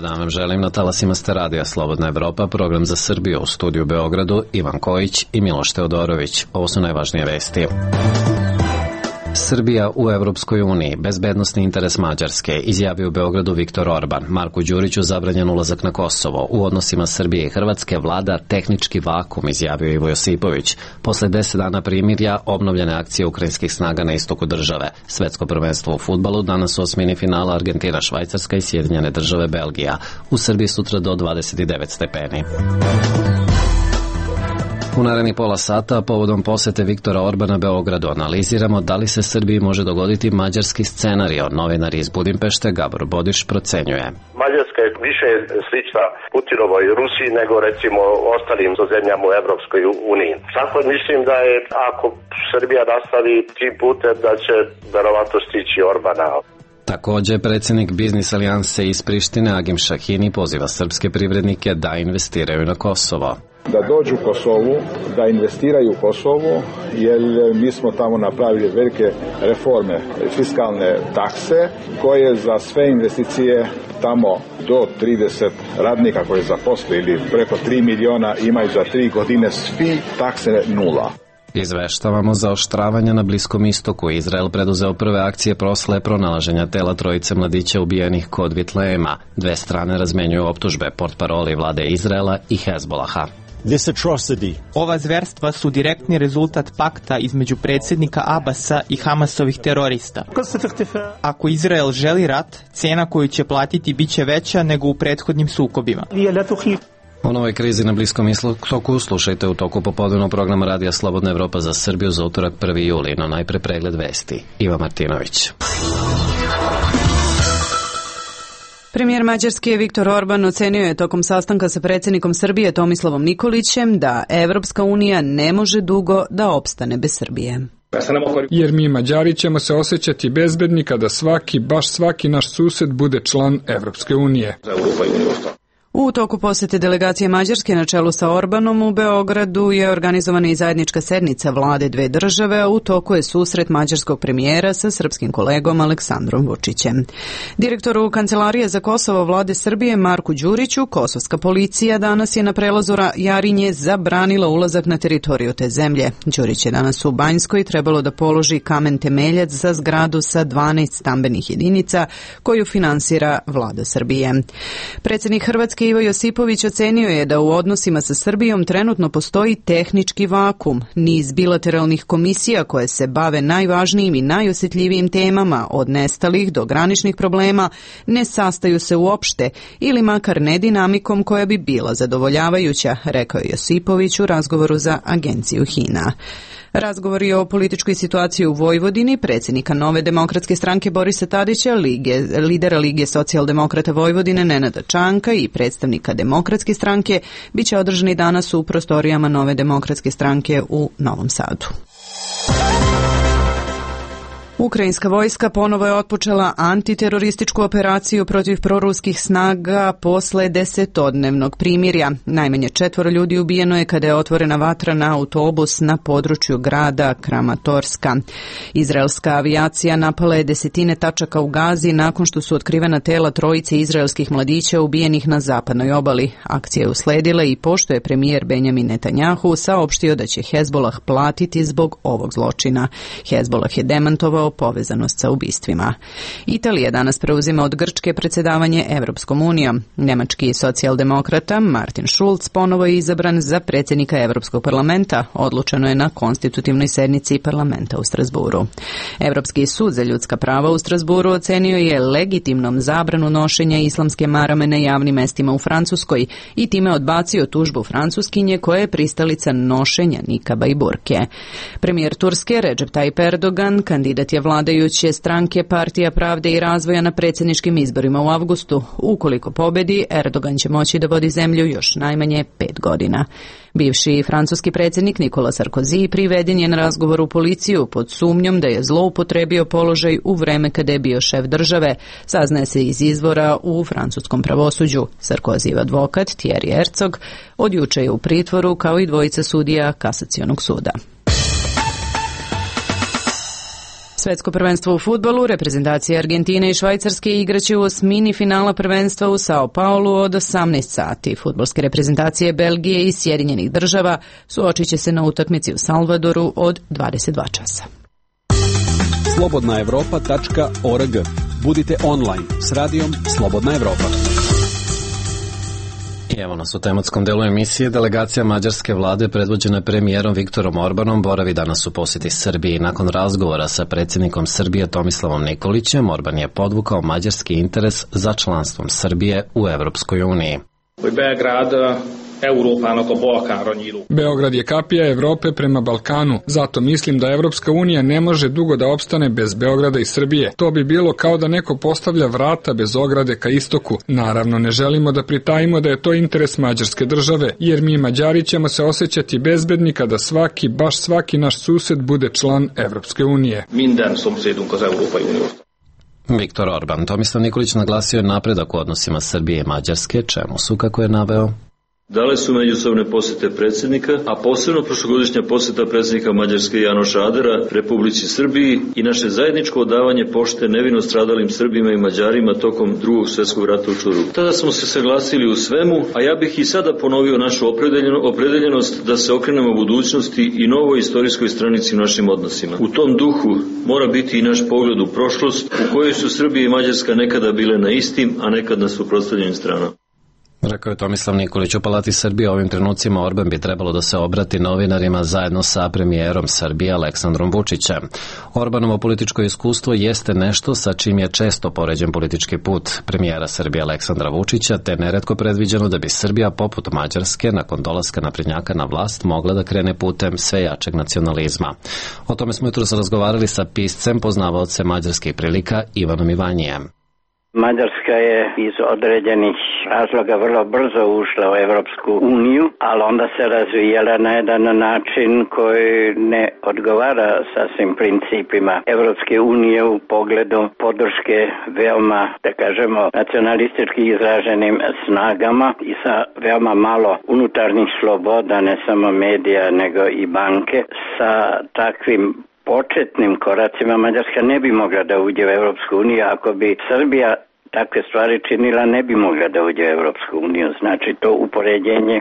Dobar dan vam želim, na talasima ste radija Slobodna Evropa, program za Srbiju, u studiju Beogradu Ivan Kojić i Miloš Teodorović. Ovo su najvažnije vesti. Srbija u Evropskoj uniji, bezbednosni interes Mađarske, izjavio u Beogradu Viktor Orban. Marku Đuriću zabranjen ulazak na Kosovo. U odnosima Srbije i Hrvatske vlada tehnički vakum, izjavio Ivo Josipović. Posle 10 dana primirja, obnovljene akcije ukrajinskih snaga na istoku države. Svetsko prvenstvo u fudbalu, danas osmini finala Argentina, Švajcarska i Sjedinjene države Belgija. U Srbiji sutra do 29 stepeni. U narednih pola sata, povodom posete Viktora Orbana Beogradu, analiziramo da li se Srbiji može dogoditi mađarski scenario. Novinar iz Budimpešte Gabor Bodiš procenjuje. Mađarska je više slična Putinovoj Rusiji nego recimo ostalim zemljama u Evropskoj uniji. Tako mislim da je, ako Srbija nastavi tim putem, da će verovatno stići Orbana. Takođe, predsjednik Biznis alijanse iz Prištine Agim Šahini poziva srpske privrednike da investiraju na Kosovo. Da dođu u Kosovu, da investiraju u Kosovu, jer mi smo tamo napravili velike reforme, fiskalne takse, koje za sve investicije tamo do 30 radnika koje zaposle ili preko 3 miliona imaju za 3 godine svi takse nula. Izveštavamo za oštravanje na Bliskom istoku. Izrael preduzeo prve akcije prosle pronalaženja tela trojice mladića ubijenih kod Vitlejema. Dve strane razmenjuju optužbe, portparoli vlade Izraela i Hezbolaha. Ova zverstva su direktni rezultat pakta između predsjednika Abasa i Hamasovih terorista. Ako Izrael želi rat, cena koju će platiti biće veća nego u prethodnim sukobima. O novoj krizi na Bliskom istoku slušajte u toku popodnevnog programa Radija Slobodna Evropa za Srbiju za utorak 1. juli, no najpre pregled vesti. Iva Martinović. Premijer Mađarske Viktor Orban ocenio je tokom sastanka sa predsjednikom Srbije Tomislavom Nikolićem da Evropska unija ne može dugo da opstane bez Srbije. Jer mi Mađari ćemo se osjećati bezbedni kada baš svaki naš sused bude član Evropske unije. U toku posete delegacije Mađarske na čelu sa Orbanom u Beogradu je organizovana i zajednička sednica vlade dve države, a u toku je susret mađarskog premijera sa srpskim kolegom Aleksandrom Vučićem. Direktoru Kancelarije za Kosovo vlade Srbije Marku Đuriću, kosovska policija danas je na prelazu Jarinje zabranila ulazak na teritoriju te zemlje. Đurić je danas u Banjskoj trebalo da položi kamen temeljac za zgradu sa 12 stambenih jedinica koju finansira vlada Srbije. Predsjednik Hrvatske Ivo Josipović ocenio je da u odnosima sa Srbijom trenutno postoji tehnički vakum. Niz bilateralnih komisija koje se bave najvažnijim i najosjetljivijim temama, od nestalih do graničnih problema, ne sastaju se uopšte ili makar ne dinamikom koja bi bila zadovoljavajuća, rekao je Josipović u razgovoru za agenciju HINA. Razgovori o političkoj situaciji u Vojvodini, predsjednika Nove demokratske stranke Borisa Tadića, lidera Lige socijaldemokrata Vojvodine Nenada Čanka i predstavnika Demokratske stranke biće održani danas u prostorijama Nove demokratske stranke u Novom Sadu. Ukrajinska vojska ponovo je otpočela antiterorističku operaciju protiv proruskih snaga posle 10-dnevnog primirja. Najmanje 4 ljudi ubijeno je kada je otvorena vatra na autobus na području grada Kramatorska. Izraelska avijacija napala je desetine tačaka u Gazi nakon što su otkrivena tela trojice izraelskih mladića ubijenih na zapadnoj obali. Akcija je usledila i pošto je premijer Benjamin Netanjahu saopštio da će Hezbolah platiti zbog ovog zločina. Hezbolah je demantovao povezanost sa ubistvima. Italija danas preuzima od Grčke predsjedavanje Evropskom unijom. Nemački socijaldemokrata Martin Schulz ponovo je izabran za predsjednika Evropskog parlamenta. Odlučeno je na konstitutivnoj sednici parlamenta u Strasburu. Evropski sud za ljudska prava u Strasburu ocenio je legitimnom zabranu nošenja islamske marame na javnim mestima u Francuskoj i time odbacio tužbu Francuskinje koja je pristalica nošenja nikaba i burke. Premijer Turske Recep Tayyip Erdogan, kandidat je vladajuće stranke Partija pravde i razvoja na predsjedničkim izborima u avgustu. Ukoliko pobedi, Erdogan će moći da vodi zemlju još najmanje 5 godina. Bivši francuski predsjednik Nicolas Sarkozy priveden je na razgovor u policiju pod sumnjom da je zloupotrebio položaj u vreme kada je bio šef države, saznaje se iz izvora u francuskom pravosuđu. Sarkozyjev advokat Thierry Herzog od juče je u pritvoru kao i dvojica sudija Kasacionog suda. Svetsko prvenstvo u fudbalu, reprezentacije Argentine i Švajcarske igraće u osmini finala prvenstva u Sao Paulu od 18 sati. Fudbalske reprezentacije Belgije i Sjedinjenih država suočit će se na utakmici u Salvadoru od 22 časa. slobodnaevropa.org. Budite online s radijom Slobodna Evropa. I evo nas u tematskom delu emisije. Delegacija mađarske vlade predvođena premijerom Viktorom Orbanom boravi danas u posjeti Srbiji. Nakon razgovora sa predsjednikom Srbije Tomislavom Nikolićem, Orban je podvukao mađarski interes za članstvom Srbije u Evropskoj uniji. Beograd je kapija Evrope prema Balkanu, zato mislim da Evropska unija ne može dugo da opstane bez Beograda i Srbije. To bi bilo kao da neko postavlja vrata bez ograde ka istoku. Naravno, ne želimo da pritajimo da je to interes mađarske države, jer mi Mađari ćemo se osjećati bezbedni kada baš svaki naš sused bude član Evropske unije. Viktor Orban. Tomislav Nikolić naglasio je napredak u odnosima Srbije i Mađarske, čemu su, kako je naveo, dale su međusobne posjete predsjednika, a posebno prošlogodišnja posjeta predsjednika Mađarske Janoša Adera Republici Srbiji i naše zajedničko odavanje pošte nevino stradalim Srbima i Mađarima tokom Drugog svjetskog rata u Čuru. Tada smo se saglasili u svemu, a ja bih i sada ponovio našu opredeljenost da se okrenemo budućnosti i novoj istorijskoj stranici u našim odnosima. U tom duhu mora biti i naš pogled u prošlost, u kojoj su Srbija i Mađarska nekada bile na istim, a nekad na suprotstavljenim stranama. Rekao je Tomislav Nikolić. U Palati Srbije ovim trenucima Orban bi trebalo da se obrati novinarima zajedno sa premijerom Srbije Aleksandrom Vučićem. Orbanovo političko iskustvo jeste nešto sa čim je često poređen politički put premijera Srbije Aleksandra Vučića, te neretko predviđeno da bi Srbija poput Mađarske nakon dolaska naprednjaka na vlast mogla da krene putem sve jačeg nacionalizma. O tome smo jutros razgovarali sa piscem, poznavaocem mađarskih prilika Ivanom Ivanjijem. Mađarska je iz određenih razloga vrlo brzo ušla u Evropsku uniju, ali onda se razvijala na jedan način koji ne odgovara sasvim principima Evropske unije u pogledu podrške veoma, da kažemo, nacionalistički izraženim snagama i sa veoma malo unutarnjih sloboda, ne samo medija nego i banke. Sa takvim početnim koracima Mađarska ne bi mogla da uđe u Evropsku uniju. Ako bi Srbija takve stvari činila, ne bi mogla da uđe u Evropsku uniju. Znači, to upoređenje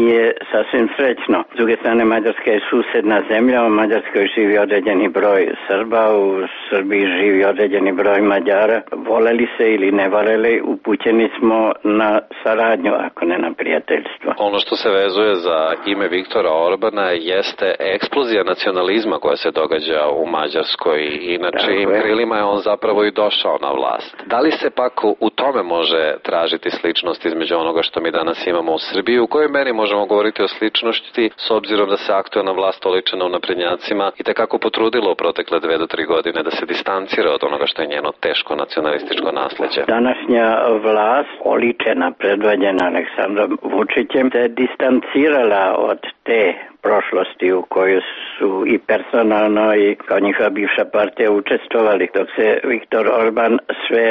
nije sasvim srećno. S druge strane, Mađarska je susedna zemlja, u Mađarskoj živi određeni broj Srba, u Srbiji živi određeni broj Mađara. Voleli se ili ne voleli, upućeni smo na saradnju, ako ne na prijateljstvo. Ono što se vezuje za ime Viktora Orbana jeste eksplozija nacionalizma koja se događa u Mađarskoj. Inače, im krilima je on zapravo i došao na vlast. Da li se pak u tome može tražiti sličnost između onoga što mi danas imamo u Srbiji? U kojoj meri možemo govoriti o sličnosti s obzirom da se aktuelna vlast oličena u naprednjacima i tekako potrudilo u protekle 2 do 3 godine da se distancira od onoga što je njeno teško nacionalističko nasleđe? Današnja vlast, oličena predvođena Aleksandrom Vučićem, se distancirala od te prošlosti u kojoj su i personalno i kao njihova bivša partija učestvovali, dok se Viktor Orban sve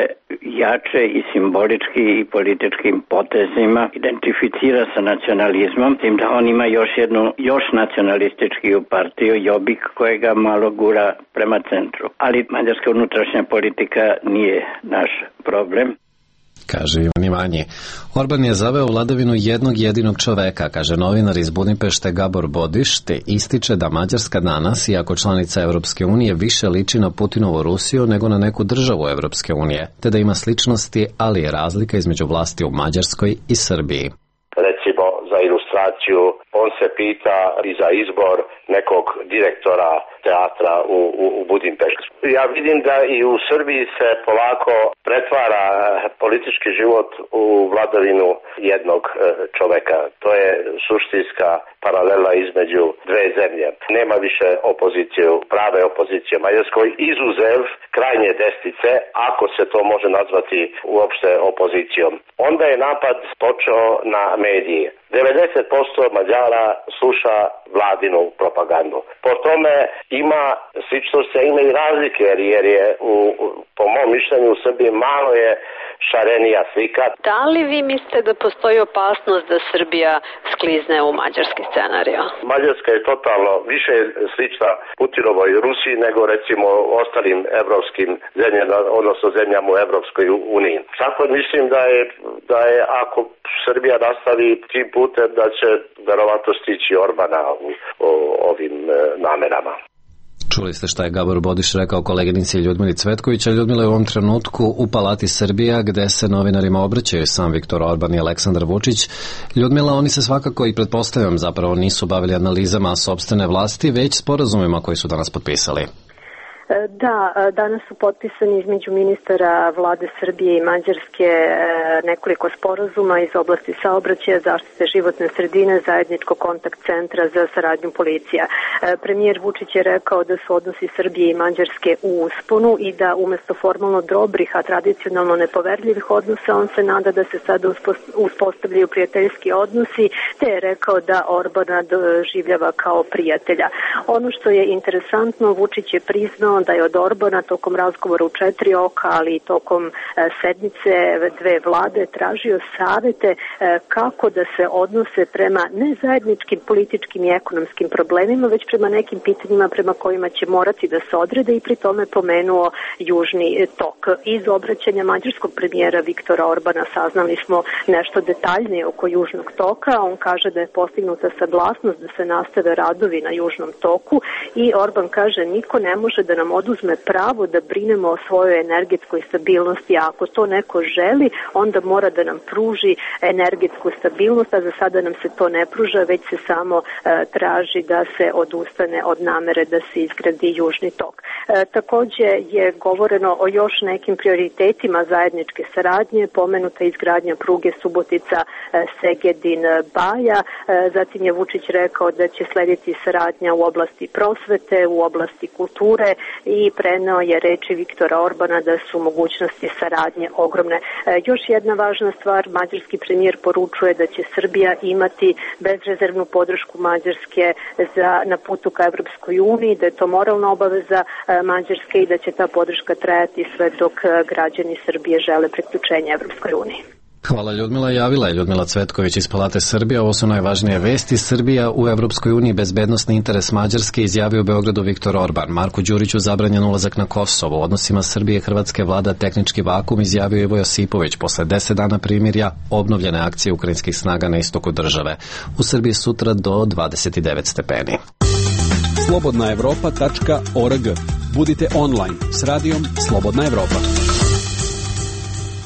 jače i simbolički i političkim potezima identificira sa nacionalizmom, tim da on ima još nacionalističkiju partiju, Jobbik, kojega malo gura prema centru. Ali mađarska unutrašnja politika nije naš problem. Kaže Ivan Ivanji. Orban je zaveo vladavinu jednog jedinog čoveka, kaže novinar iz Budimpešte Gabor Bodiš, te ističe da Mađarska danas, iako članica Evropske unije, više liči na Putinovu Rusiju nego na neku državu Evropske unije, te da ima sličnosti, ali je razlika između vlasti u Mađarskoj i Srbiji. Recimo, za ilustraciju, on se pita i za izbor nekog direktora teatra u Budimpeštu. Ja vidim da i u Srbiji se polako pretvara politički život u vladavinu jednog čoveka. To je suštinska paralela između dve zemlje. Nema više opozicije, prave opozicije u Mađarskoj, izuzev krajnje desnice, ako se to može nazvati uopšte opozicijom. Onda je napad počeo na medije. 90% Mađara sluša vladinu propagandu. Po tome ima sličnosti, a ima i razlike, jer je po mom mišljenju u Srbiji malo je šarenija slika. Da li vi mislite da postoji opasnost da Srbija sklizne u mađarski scenariju? Mađarska je totalno više slična Putinovoj Rusiji nego recimo ostalim evropskim zemljama, odnosno zemljama u Evropskoj uniji. Tako mislim da je ako Srbija nastavi tim putem da će verovatno stići Orbana u ovim namerama. Čuli ste šta je Gabor Bodiš rekao koleginici Ljudmili Cvetković, a Ljudmila je u ovom trenutku u Palati Srbija, gde se novinarima obraćaju sam Viktor Orban i Aleksandar Vučić. Ljudmila, oni se svakako i pretpostavljam zapravo nisu bavili analizama sopstvene vlasti, već sporazumima koji su danas potpisali. Da, danas su potpisani između ministara vlade Srbije i Mađarske nekoliko sporazuma iz oblasti saobraćaja, zaštite životne sredine, zajedničkog kontakt centra za saradnju policija. Premijer Vučić je rekao da su odnosi Srbije i Mađarske u usponu i da umesto formalno dobrih, a tradicionalno nepoverljivih odnosa, on se nada da se sada uspostavljaju prijateljski odnosi, te je rekao da Orbana doživljava kao prijatelja. Ono što je interesantno, Vučić je priznao da je od Orbana tokom razgovora u 4 oka, ali i tokom sednice dve vlade tražio savete kako da se odnose prema ne zajedničkim političkim i ekonomskim problemima, već prema nekim pitanjima prema kojima će morati da se odrede i pri tome pomenuo Južni tok. Iz obraćanja mađarskog premijera Viktora Orbana saznali smo nešto detaljnije oko Južnog toka. On kaže da je postignuta saglasnost da se nastave radovi na Južnom toku i Orban kaže niko ne može da nam oduzme pravo da brinemo o svojoj energetskoj stabilnosti, a ako to neko želi, onda mora da nam pruži energetsku stabilnost, a za sada nam se to ne pruža, već se samo traži da se odustane od namere da se izgradi Južni tok. Takođe je govoreno o još nekim prioritetima zajedničke saradnje, pomenuta izgradnja pruge Subotica-Segedin-Baja, zatim je Vučić rekao da će slediti saradnja u oblasti prosvete, u oblasti kulture i preneo je reči Viktora Orbana da su mogućnosti saradnje ogromne. Još jedna važna stvar, mađarski premijer poručuje da će Srbija imati bezrezervnu podršku Mađarske na putu ka Evropskoj uniji, da je to moralna obaveza Mađarske i da će ta podrška trajati sve dok građani Srbije žele priključenje Evropskoj uniji. Hvala Ljudmila. Javila je Ljudmila Cvetković iz Palate Srbije. Ovo su najvažnije vesti. Srbija u Evropskoj uniji, bezbednosni interes Mađarske, izjavio u Beogradu Viktor Orban. Marku Đuriću zabranjen ulazak na Kosovo. U odnosima Srbije i Hrvatske vlada tehnički vakum, izjavio Ivo Josipović. Posle 10 dana primirja obnovljene akcije ukrajinskih snaga na istoku države. U Srbiji sutra do 29 stepeni. Slobodnaevropa.org. Budite online s radijom Slobodna Evropa.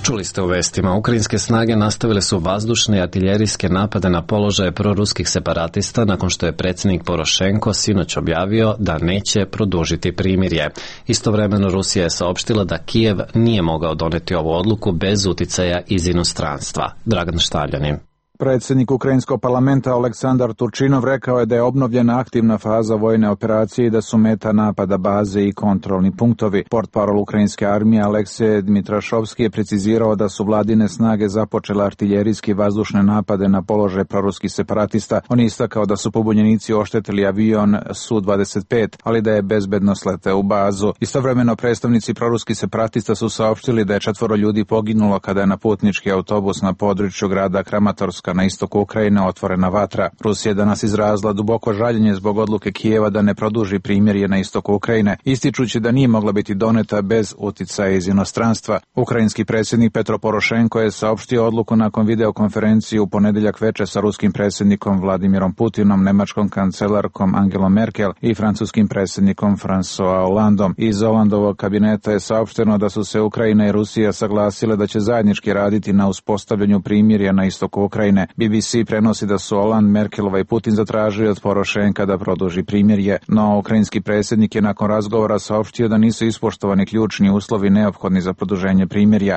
Čuli ste u vestima, ukrajinske snage nastavile su vazdušne i artiljerijske napade na položaje proruskih separatista nakon što je predsjednik Porošenko sinoć objavio da neće produžiti primirje. Istovremeno Rusija je saopštila da Kijev nije mogao doneti ovu odluku bez uticaja iz inostranstva. Dragan Štavljanin. Predsjednik Ukrajinskog parlamenta Aleksandar Turčinov rekao je da je obnovljena aktivna faza vojne operacije i da su meta napada baze i kontrolni punktovi. Portparol ukrajinske armije Aleksej Dmitrašovski je precizirao da su vladine snage započele artiljerijski vazdušne napade na položaj proruskih separatista. On je istakao da su pobunjenici oštetili avion Su-25, ali da je bezbedno sleteo u bazu. Istovremeno predstavnici proruskih separatista su saopštili da je 4 ljudi poginulo kada je na putnički autobus na području grada Kramatorska na istoku Ukrajine otvorena vatra. Rusija je danas izrazila duboko žaljenje zbog odluke Kijeva da ne produži primirje na istoku Ukrajine, ističući da nije mogla biti doneta bez uticaja iz inostranstva. Ukrajinski predsjednik Petro Porošenko je saopštio odluku nakon videokonferencije u ponedeljak veče sa ruskim predsjednikom Vladimirom Putinom, nemačkom kancelarkom Angelom Merkel i francuskim predsjednikom François Hollandom. Iz Hollandovog kabineta je saopšteno da su se Ukrajina i Rusija saglasile da će zajednički raditi na uspostavljanju primirja na istoku Ukrajine. BBC prenosi da su Holand, Merkelova i Putin zatražili od Porošenka da produži primirje, no ukrajinski predsjednik je nakon razgovora saopštio da nisu ispoštovani ključni uslovi neophodni za produženje primirja.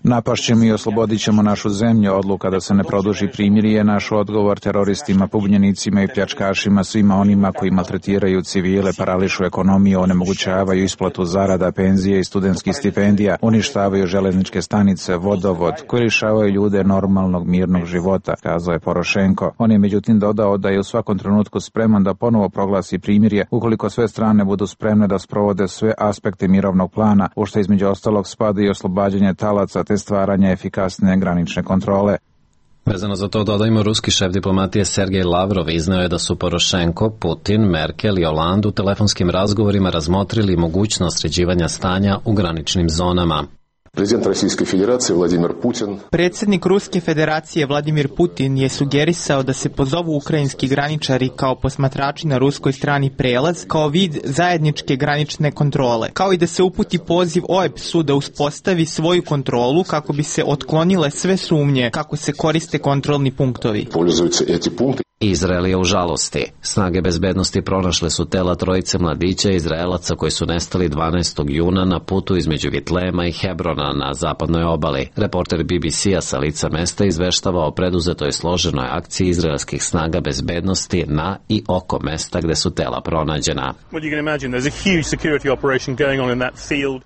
Napašćemo i oslobodit ćemo našu zemlju. Odluka da se ne produži primirje je naš odgovor teroristima, pobunjenicima i pljačkašima, svima onima koji maltretiraju civile, parališu ekonomiju, onemogućavaju isplatu zarada, penzije i studentskih stipendija, uništavaju železničke stanice, vodovod, koji lišavaju ljude normalne normalnog mirnog života, kazao je Porošenko. On je međutim dodao da je u svakom trenutku spreman da ponovo proglasi primirje ukoliko sve strane budu spremne da sprovode sve aspekte mirovnog plana, u što između ostalog spada i oslobađanje talaca te stvaranje efikasne granične kontrole. Vezano za to dodajmo, ruski šef diplomatije Sergej Lavrov izneo je da su Porošenko, Putin, Merkel i Hollande u telefonskim razgovorima razmotrili mogućnost sređivanja stanja u graničnim zonama. Predsjednik Ruske federacije Vladimir Putin je sugerisao da se pozovu ukrajinski graničari kao posmatrači na ruskoj strani prelaz kao vid zajedničke granične kontrole, kao i da se uputi poziv OEBS-u da uspostavi svoju kontrolu kako bi se otklonile sve sumnje kako se koriste kontrolni punktovi. Izrael je u žalosti. Snage bezbednosti pronašle su tela trojice mladića Izraelaca koji su nestali 12. juna na putu između Vitlema i Hebrona na zapadnoj obali. Reporter BBC-a sa lica mesta izveštava o preduzetoj složenoj akciji izraelskih snaga bezbednosti na i oko mesta gde su tela pronađena.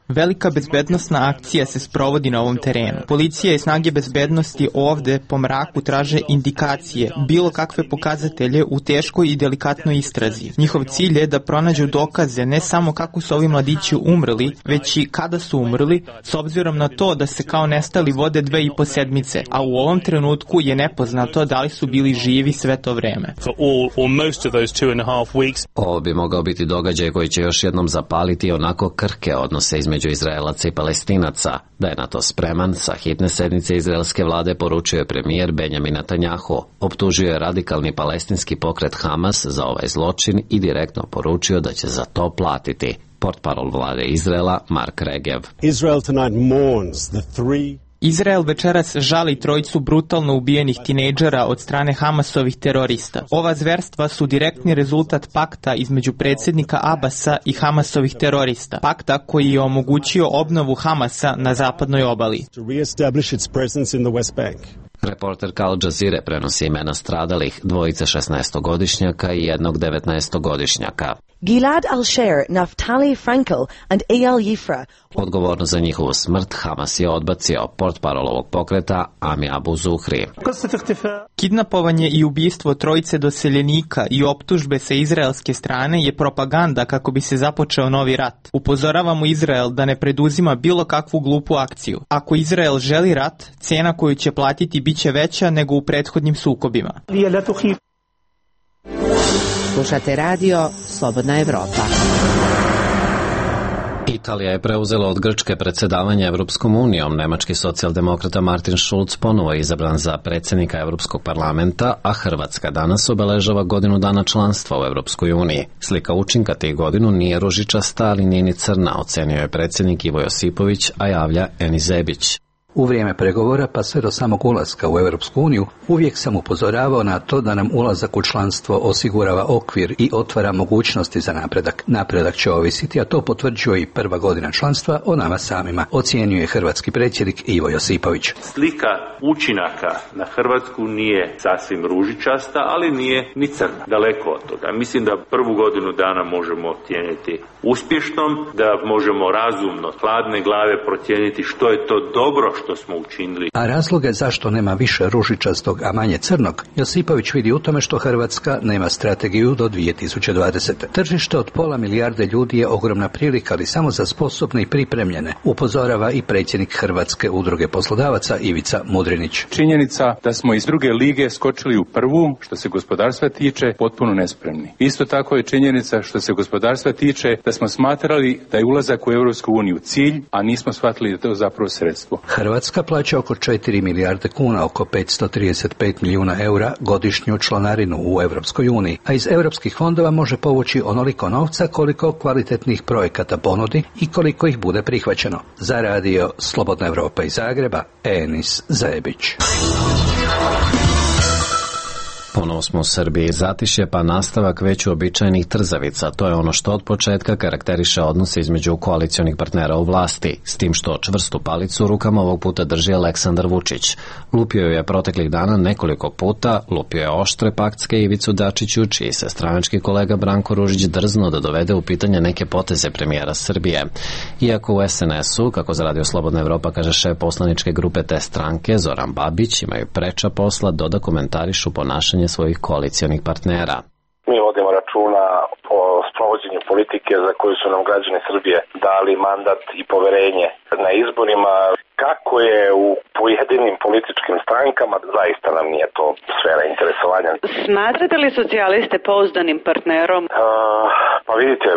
Velika bezbednosna akcija se sprovodi na ovom terenu. Policija i snage bezbednosti ovde po mraku traže indikacije, bilo kakve pokazatelje u teškoj i delikatnoj istrazi. Njihov cilj je da pronađu dokaze ne samo kako su ovi mladići umrli, već i kada su umrli, s obzirom na to da se kao nestali vode 2,5 sedmice, a u ovom trenutku je nepoznato da li su bili živi sve to vreme. Ovo bi mogao biti događaj koji će još jednom zapaliti onako krhke odnose između Izraelaca i Palestinaca. Da je na to spreman, sa hitne sednice izraelske vlade poručio je premijer Benjamin Netanjahu. Optužio je radikalni palestinski pokret Hamas za ovaj zločin i direktno poručio da će za to platiti. Portparol vlade Izraela Mark Regev. Izrael večeras žali trojicu brutalno ubijenih tinejdžera od strane Hamasovih terorista. Ova zverstva su direktni rezultat pakta između predsjednika Abasa i Hamasovih terorista. Pakta koji je omogućio obnovu Hamasa na zapadnoj obali. Reporterka Al Jazeere prenosi imena stradalih, dvojice 16-godišnjaka i jednog 19-godišnjaka. Gilad al-Sher, Naftali Frankel and Eyal Yifra. Odgovorno za njihovu smrt Hamas je odbacio, portparol ovog pokreta Ami Abu Zuhri. Kidnapovanje i ubistvo trojice doseljenika i optužbe sa izraelske strane je propaganda kako bi se započeo novi rat. Upozoravamo Izrael da ne preduzima bilo kakvu glupu akciju. Ako Izrael želi rat, cena koju će platiti biće veća nego u prethodnim sukobima. Slušate radio Slobodna Evropa. Italija je preuzela od Grčke predsjedavanje Evropskom unijom. Nemački socijaldemokrata Martin Schulz ponovo je izabran za predsjednika Evropskog parlamenta, a Hrvatska danas obeležava godinu dana članstva u Evropskoj uniji. Slika učinka tih godinu nije ružičasta, ali nije ni crna, ocenio je predsjednik Ivo Josipović, a javlja Eni Zebić. U vrijeme pregovora pa sve do samog ulaska u Europsku uniju uvijek sam upozoravao na to da nam ulazak u članstvo osigurava okvir i otvara mogućnosti za napredak. Napredak će ovisiti, a to potvrđuje i prva godina članstva o nama samima, ocijenjuje hrvatski predsjednik Ivo Josipović. Slika učinaka na Hrvatsku nije sasvim ružičasta, ali nije ni crna. Daleko od toga. Mislim da prvu godinu dana možemo ocijeniti uspješnom, da možemo razumno, hladne glave procijeniti što je to dobro što smo učinili. A razloge zašto nema više ružičastog, a manje crnog, Josipović vidi u tome što Hrvatska nema strategiju do 2020. Tržište od 500 milijarde ljudi je ogromna prilika, ali samo za sposobne i pripremljene, upozorava i predsjednik Hrvatske udruge poslodavaca Ivica Mudrinić. Činjenica da smo iz druge lige skočili u prvu, što se gospodarstva tiče, potpuno nespremni. Isto tako je činjenica što se gospodarstva tiče da smo smatrali da je ulazak u Europsku uniju cilj, a nismo shvatili da je to zapravo sredstvo. Hrvatska plaća oko 4 milijarde kuna, oko 535 milijuna eura godišnju članarinu u Europskoj uniji, a iz europskih fondova može povući onoliko novca koliko kvalitetnih projekata ponudi i koliko ih bude prihvaćeno. Za radio Slobodna Evropa iz Zagreba, Enis Zebić. Ponovo smo u Srbiji, zatišje pa nastavak već uobičajenih trzavica. To je ono što od početka karakteriše odnose između koalicionih partnera u vlasti, s tim što čvrstu palicu u rukama ovog puta drži Aleksandar Vučić. Lupio je proteklih dana nekoliko puta, lupio je oštre paktske Ivicu Dačiću, čiji se stranački kolega Branko Ružić drznuo da dovede u pitanje neke poteze premijera Srbije. Iako u SNS-u, kako za Radio Slobodna Evropa kaže šef poslaničke grupe te stranke, Zoran Babić, imaju preča posla, doda komentarišu ponašanje svojih koalicionih partnera. Mi vodimo računa o sprovođenju politike za koju su nam građani Srbije dali mandat i poverenje na izborima. Kako je u pojedinim političkim strankama, zaista nam nije to sfera interesovanja. Smatrate li socijaliste pouzdanim partnerom? Pa vidite,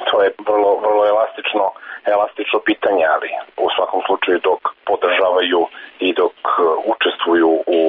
to je vrlo elastično pitanje, ali u svakom slučaju dok podržavaju i dok učestvuju u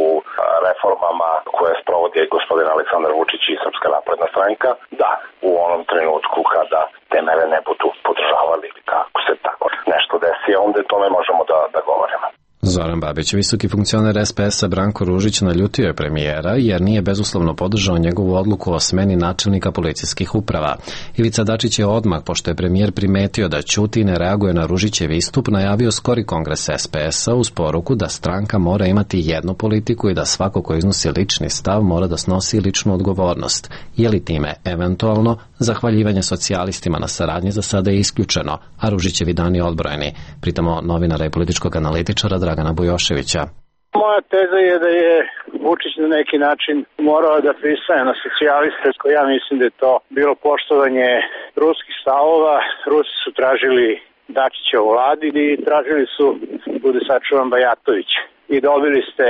reformama koje sprovodi gospodin Aleksandar Vučić i Srpska napredna stranka, da, u onom trenutku kada te mere ne budu podržavali ili kako se tako nešto desi, onda tome možemo da govorimo. Zoran Babić, visoki funkcioner SPS-a Branko Ružić, naljutio je premijera jer nije bezuslovno podržao njegovu odluku o smeni načelnika policijskih uprava. Ivica Dačić je odmah, pošto je premijer primetio da ćuti i ne reaguje na Ružićev istup, najavio skori kongres SPS-a uz poruku da stranka mora imati jednu politiku i da svako ko iznosi lični stav mora da snosi ličnu odgovornost. Je li time, eventualno, zahvaljivanje socijalistima na saradnji za sada je isključeno, a Ružićevi dani odbrojeni. Pritamo novinara i političkog analitičara Dragana Bujoševića. Moja teza je da je Vučić na neki način morao da pristaje na socijaliste, ja mislim da je to bilo poštovanje ruskih stavova. Rusi su tražili Dačića u vladi i tražili su, bude sačuvan, Bajatović. I dobili ste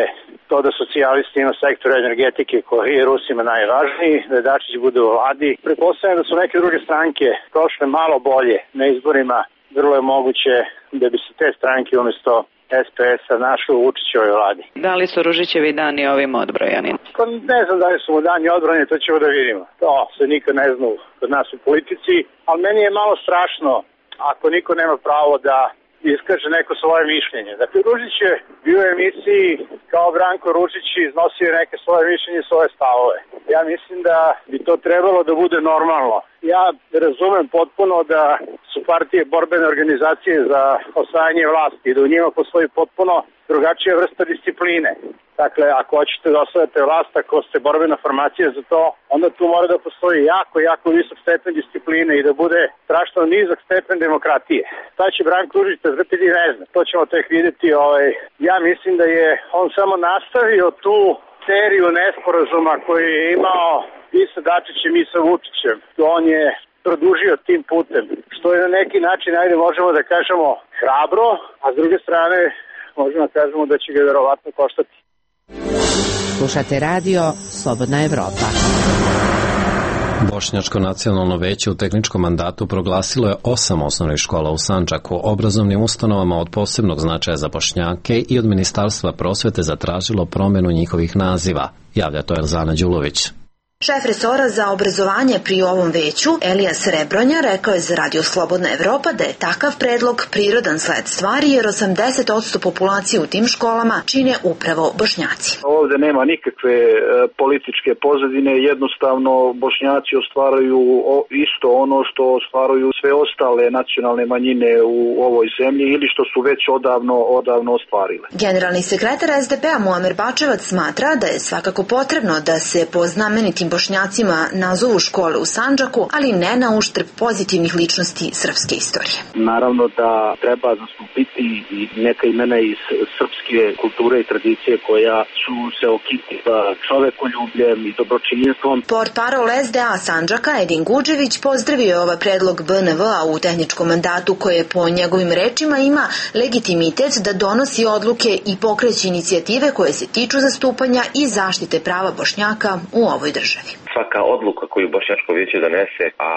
to da socijalisti ima sektor energetike koji je Rusima najvažniji, da Dačić bude u vladi. Pretpostavljam da su neke druge stranke prošle malo bolje na izborima, vrlo je moguće da bi se te stranke umjesto SPS-a našli u Vučićevoj vladi. Da li su Ružićevi dani ovim odbrojani? Pa ne znam da li su mu dani odbrojani, to ćemo da vidimo. To se nikad ne zna kod nas u politici, ali meni je malo strašno ako niko nema pravo da iskaže neko svoje mišljenje. Dakle, Ružić je bio u emisiji kao Branko Ružić i iznosio neke svoje mišljenje i svoje stavove. Ja mislim da bi to trebalo da bude normalno. Ja razumem potpuno da su partije borbene organizacije za osvajanje vlasti i da u njima postoji potpuno drugačija vrsta discipline. Dakle, ako hoćete da osvajate vlast, ako ste borbena formacija za to, onda tu mora da postoji jako visok stepen discipline i da bude strašno nizak stepen demokratije. Šta će Branko Ružić trpiti, ne znam. To ćemo tek vidjeti. Ja mislim da je on samo nastavio tu seriju nesporazuma koju je imao i sa Dačićem i sa Vučićem. On je produžio tim putem, što je na neki način, ajde možemo da kažemo, hrabro, a s druge strane možemo da kažemo da će ga verovatno koštati. Slušate radio Slobodna Evropa. Bošnjačko nacionalno veće u tehničkom mandatu proglasilo je 8 osnovnih škola u Sandžaku, obrazovnim ustanovama od posebnog značaja za Bošnjake i od Ministarstva prosvete zatražilo promenu njihovih naziva, javlja to Elzana Đulović. Šef resora za obrazovanje pri ovom veću, Elija Srebronja, rekao je za Radio Slobodna Evropa da je takav predlog prirodan sled stvari jer 80% populacije u tim školama čine upravo Bošnjaci. Ovde nema nikakve političke pozadine, jednostavno Bošnjaci ostvaruju isto ono što ostvaruju sve ostale nacionalne manjine u ovoj zemlji ili što su već odavno ostvarile. Generalni sekretar SDP-a Muamer Bačevac smatra da je svakako potrebno da se po znamenitim Bošnjacima nazovu škole u Sandžaku, ali ne na uštrb pozitivnih ličnosti srpske istorije. Naravno da treba zastupiti i neka imena iz srpske kulture i tradicije koja su se okitila čovekoljubljem i dobročinjstvom. Portparol SDA Sandžaka Edin Guđević pozdravio je ovaj predlog BNV-a u tehničkom mandatu koje po njegovim rečima ima legitimitet da donosi odluke i pokreće inicijative koje se tiču zastupanja i zaštite prava Bošnjaka u ovoj državi. Svaka odluka koju Bošnjačko vijeće donese, a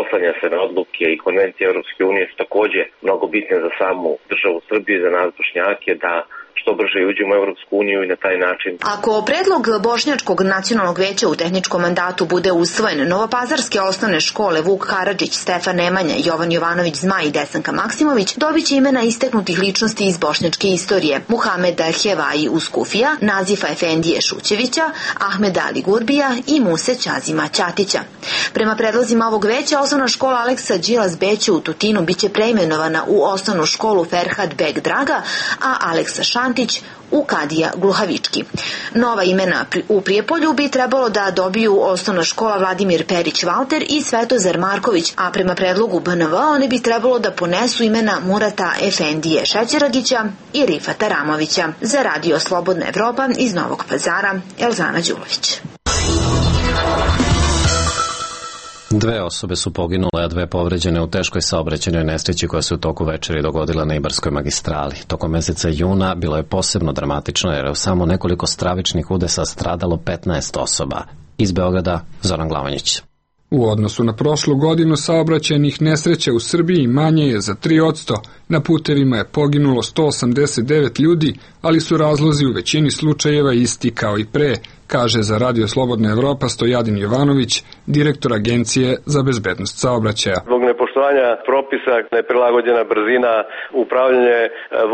oslanja se na odluke i konvencije Europske unije, su takođe mnogo bitne za samu državu Srbije, za nas Bošnjake, da što brže uđemo u Evropsku uniju i na taj način. Ako predlog Bošnjačkog nacionalnog veća u tehničkom mandatu bude usvojen, novopazarske osnovne škole Vuk Karadžić, Stefan Nemanja, Jovan Jovanović Zmaj i Desanka Maksimović dobit će imena istaknutih ličnosti iz bošnjačke istorije: Muhameda Hevaji Uskufija, Nazifa Efendije Šućevića, Ahmeda Ali Gurbija i Muse Ćazima Ćatića. Prema predlozima ovog veća, osnovna škola Aleksa Đilas Beće u Tutinu biće preimenovana u osnovnu školu Ferhat Beg Draga, a Aleksa Šantić u Kadija Gluhavički. Nova imena u Prijepolju bi trebalo da dobiju osnovna škola Vladimir Perić Valter i Svetozar Marković, a prema predlogu BNV one bi trebalo da ponesu imena Murata Efendije Šećeragića i Rifata Ramovića. Za Radio Slobodna Evropa iz Novog Pazara, Elzana Đulović. 2 osobe su poginule, a 2 povređene u teškoj saobraćajnoj nesreći koja se u toku večeri dogodila na Ibarskoj magistrali. Tokom meseca juna bilo je posebno dramatično jer je u samo nekoliko stravičnih udesa stradalo 15 osoba. Iz Beograda, Zoran Glavanjić. U odnosu na prošlu godinu saobraćajnih nesreća u Srbiji manje je za 3%. Na putevima je poginulo 189 ljudi, ali su razlozi u većini slučajeva isti kao i pre, kaže za Radio Slobodna Evropa Stojadin Jovanović, direktor Agencije za bezbednost saobraćaja. Zbog nepoštovanja propisa, neprilagođena brzina, upravljanje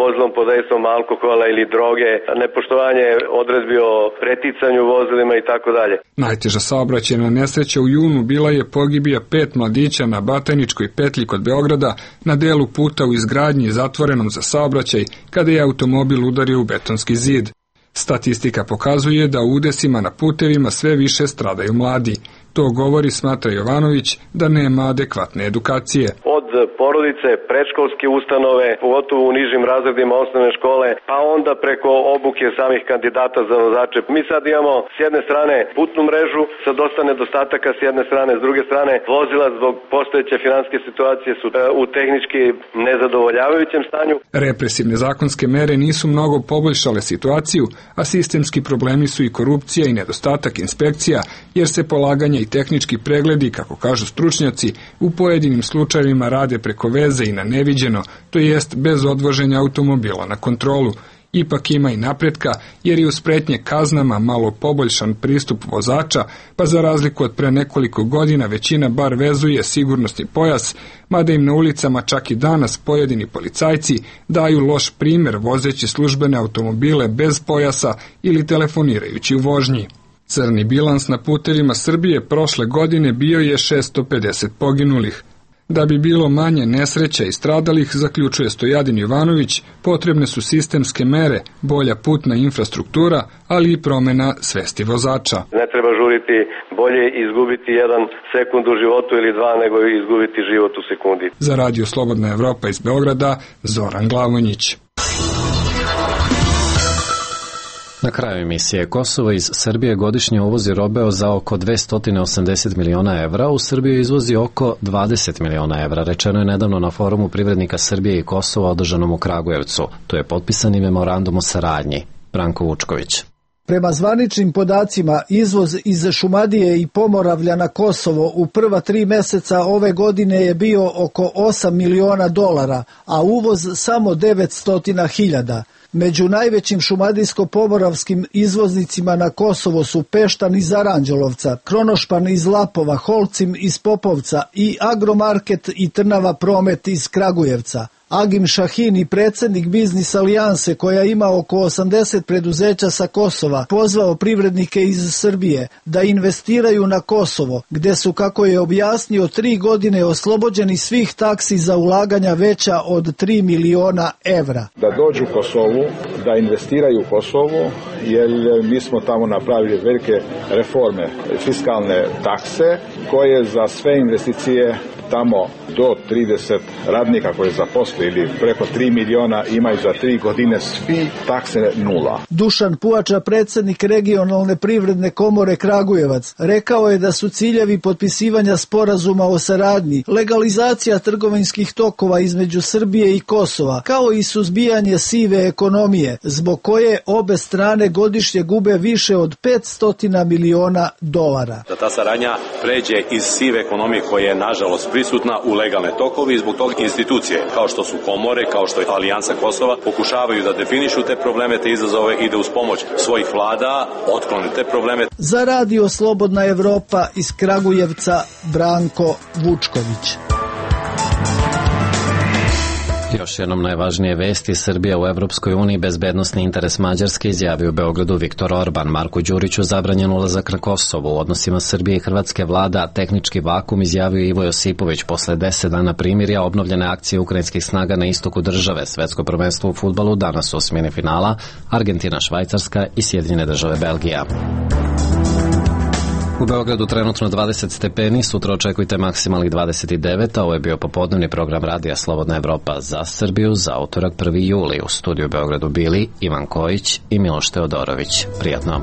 vozilom pod dejstvom alkohola ili droge, nepoštovanje odredbi o preticanju vozilima i tako dalje. Najteža saobraćajna nesreća u junu bila je pogibija 5 mladića na Batajničkoj petlji kod Beograda na delu puta u izgradnji zatvorenom za saobraćaj kada je automobil udario u betonski zid. Statistika pokazuje da u udesima na putevima sve više stradaju mladi. To govori, smatra Jovanović, da nema adekvatne edukacije. Od porodice, predškolske ustanove, pogotovo u nižim razredima osnovne škole, pa onda preko obuke samih kandidata za vozače. Mi sad imamo s jedne strane putnu mrežu sa dosta nedostataka s jedne strane, s druge strane vozila zbog postojeće finansijske situacije su u tehnički nezadovoljavajućem stanju. Represivne zakonske mere nisu mnogo poboljšale situaciju, a sistemski problemi su i korupcija i nedostatak inspekcija, jer se polaganje i tehnički pregledi, kako kažu stručnjaci, u pojedinim slučajevima rade preko veze i na neviđeno, to jest bez odvoženja automobila na kontrolu. Ipak ima i napretka, jer je uz pretnje kaznama malo poboljšan pristup vozača, pa za razliku od pre nekoliko godina većina bar vezuje sigurnosni pojas, mada im na ulicama čak i danas pojedini policajci daju loš primer vozeći službene automobile bez pojasa ili telefonirajući u vožnji. Crni bilans na putevima Srbije prošle godine bio je 650 poginulih. Da bi bilo manje nesreća i stradalih, zaključuje Stojadin Jovanović, potrebne su sistemske mere, bolja putna infrastruktura, ali i promena svesti vozača. Ne treba žuriti, bolje izgubiti 1 sekund u životu ili 2 nego izgubiti život u sekundi. Za Radio Slobodna Evropa iz Beograda, Zoran Glavonjić. Na kraju emisije, Kosovo iz Srbije godišnje uvozi robe za oko 280 miliona evra, u Srbiju izvozi oko 20 miliona evra, rečeno je nedavno na forumu privrednika Srbije i Kosova održanom u Kragujevcu. Tu je potpisani memorandum o saradnji. Branko Vučković. Prema zvaničnim podacima, izvoz iz Šumadije i Pomoravlja na Kosovo u prva 3 meseca ove godine je bio oko 8 miliona dolara, a uvoz samo 900.000. Među najvećim šumadijsko-pomoravskim izvoznicima na Kosovo su Peštan iz Aranđelovca, Kronošpan iz Lapova, Holcim iz Popovca i Agromarket i Trnava Promet iz Kragujevca. Agim Šahini, predsjednik Biznis alijanse koja ima oko 80 preduzeća sa Kosova, pozvao privrednike iz Srbije da investiraju na Kosovo, gde su, kako je objasnio, 3 godine oslobođeni svih taksi za ulaganja veća od 3 miliona evra. Da dođu u Kosovu, da investiraju u Kosovo, jer mi smo tamo napravili velike reforme, fiskalne takse, koje za sve investicije tamo do 30 radnika koje zaposle ili preko 3 miliona imaju za 3 godine svi takse nula. Dušan Puača, predsjednik regionalne privredne komore Kragujevac, rekao je da su ciljevi potpisivanja sporazuma o saradnji legalizacija trgovinskih tokova između Srbije i Kosova, kao i suzbijanje sive ekonomije, zbog koje obe strane godišnje gube više od 500 miliona dolara. Da ta saradnja pređe iz sive ekonomije koja je nažalost prisutna u legalne tokove i zbog toga institucije, kao što su komore, kao što je Alijansa Kosova, pokušavaju da definišu te probleme, te izazove i da uz pomoć svojih vlada otklone te probleme. Za Radio Slobodna Evropa iz Kragujevca Branko Vučković. Još jednom najvažnije vesti. Srbija u Evropskoj uniji, bezbednosni interes Mađarske, izjavio u Beogradu Viktor Orban. Marku Đuriću zabranjen ulazak na Kosovo. U odnosima Srbije i Hrvatske vlada tehnički vakum, izjavio Ivo Josipović. Posle 10 dana primirja obnovljene akcije ukrajinskih snaga na istoku države. Svetsko prvenstvo u fudbalu danas u osmini finala Argentina, Švajcarska i Sjedinjene Države Belgija. U Beogradu trenutno 20 stepeni, sutra očekujte maksimalnih 29, a ovo je bio popodnevni program Radija Slobodna Evropa za Srbiju za utorak 1. juli. U studiju u Beogradu bili Ivan Kojić i Miloš Teodorović. Prijatno.